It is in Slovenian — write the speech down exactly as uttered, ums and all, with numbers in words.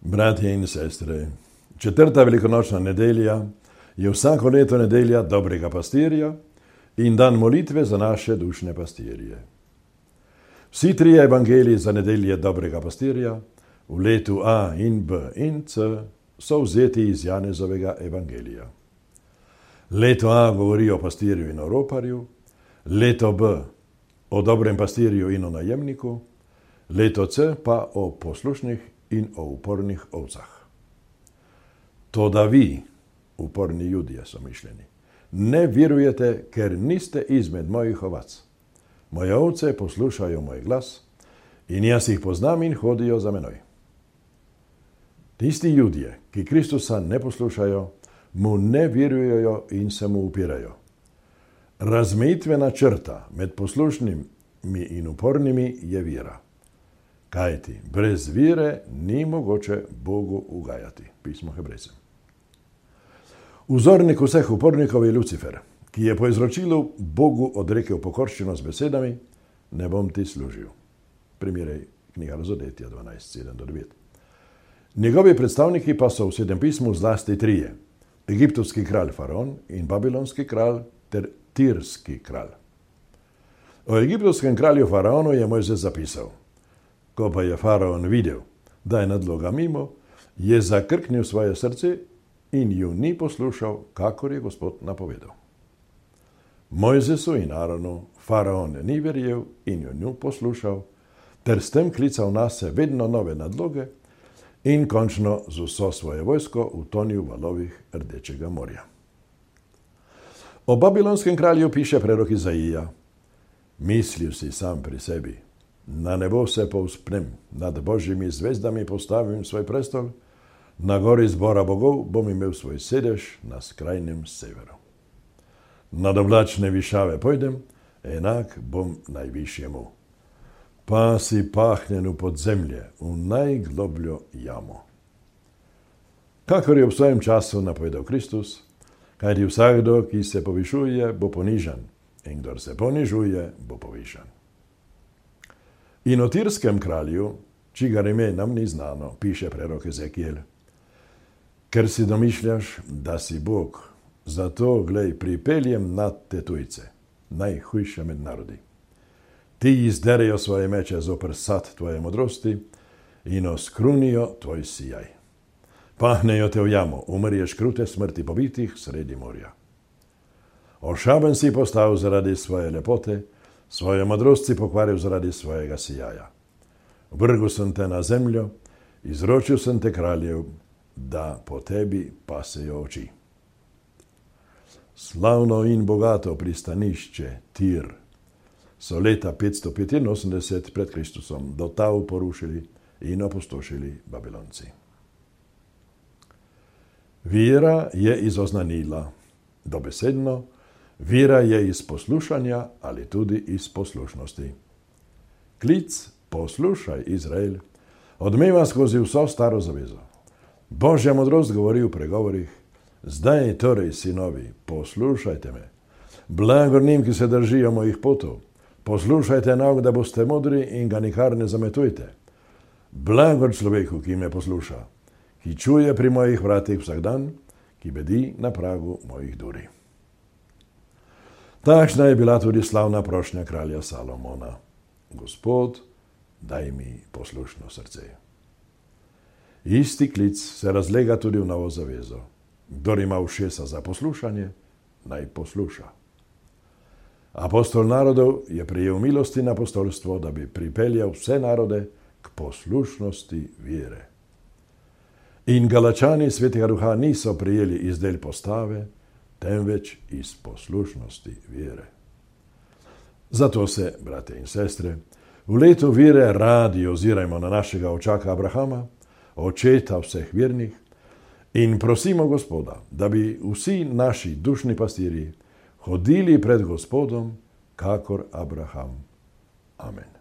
Bratje in sestre, četrta velikonočna nedelja je vsako leto nedelja dobrega pastirja in dan molitve za naše dušne pastirje. Vsi trije evangeliji za nedelje dobrega pastirja v letu A in B in C so vzeti iz Janezovega evangelija. Leto A govori o pastirju in o roparju, leto B o dobrem pastirju in o najemniku, leto C pa o poslušnih in o upornih ovcah. Toda vi, uporni Judje so mišljeni, ne virujete, ker niste izmed mojih ovac. Moje ovce poslušajo moj glas in jaz jih poznam in hodijo za menoj. Tisti Judje, ki Kristusa ne poslušajo, mu ne virujejo in se mu upirajo. Razmejitvena črta med poslušnimi in upornimi je vira. Kajti brez vire ni mogoče Bogu ugajati. Pismo Hebrejcem. Vzornik vseh upornikov je Lucifer, ki je po izročilu Bogu odrekel pokorščino z besedami: ne bom ti služil. Primerjaj knjiga Razodetja dvanajst sedem do devet. Njegovi predstavniki pa so v Svetem pismu zlasti trije: egiptovski kralj Faraon in babilonski kralj ter tirski kralj. O egiptovskem kralju Faraonu je Mojzes zapisal: ko pa je Faraon videl, da je nadloga mimo, je zakrknil svoje srce in ju ni poslušal, kakor je Gospod napovedal. Mojzesu in Aronu Faraon ni verjel in ju ni poslušal, ter s tem klical nase vedno nove nadloge in končno z vso svoje vojsko utonil v valovih Rdečega morja. O babilonskem kralju piše prorok Izaija: mislil si sam pri sebi, na nebo se povzpnem, nad božjimi zvezdami postavim svoj prestol, na gori zbora bogov bom imel svoj sedež na skrajnem severu. Nad oblačne višave pojdem, enak bom najvišjemu. Pa si pahnjen v podzemlje, v najglobljo jamo. Kakor je v svojem času napovedal Kristus, kajti vsakdo, ki se povišuje, bo ponižan, in kdor se ponižuje, bo povišan. In o tirskem kralju, čigar ime nam ni znano, piše prorok Ezekiel: ker si domišljaš, da si Bog, zato, glej, pripeljem nad te tujce, najhujše med narodi. Ti izderejo svoje meče zoper sad tvoje modrosti in oskrunijo tvoj sijaj. Pahnejo te v jamo, umrješ krute smrti pobitih sredi morja. Ošaben si postal zaradi svoje lepote, svoje modrost si pokvaril zaradi svojega sijaja. Vrgel sem te na zemljo, izročil sem te kraljev, da po tebi pasejo oči. Slavno in bogato pristanišče Tir so leta petsto petinosemdeset pred Kristusom do tal porušili in opustošili Babilonci. Vira je iz oznanila, dobesedno, vira je iz poslušanja ali tudi iz poslušnosti. Klic poslušaj, Izrael, odmeva skozi vso staro zavezo. Božja modrost govori v pregovorih: zdaj torej, sinovi, poslušajte me. Blagor njim, ki se držijo mojih potov. Poslušajte nauk, da boste modri in ga nikar ne zametujte. Blagor človeku, ki me posluša, ki čuje pri mojih vratih vsak dan, ki bedi na pragu mojih duri. Takšna je bila tudi slavna prošnja kralja Salomona: Gospod, daj mi poslušno srce. Isti klic se razlega tudi v novo zavezo: kdor ima ušesa za poslušanje, naj posluša. Apostol narodov je prejel milosti in apostolstvo, da bi pripeljal vse narode k poslušnosti vere. In Galačani Svetega Duha niso prijeli iz del postave, temveč iz poslušnosti vere. Zato se, brate in sestre, v letu vere radi ozirajmo na našega očaka Abrahama, očeta vseh vernih, in prosimo Gospoda, da bi vsi naši dušni pastirji hodili pred Gospodom kakor Abraham. Amen.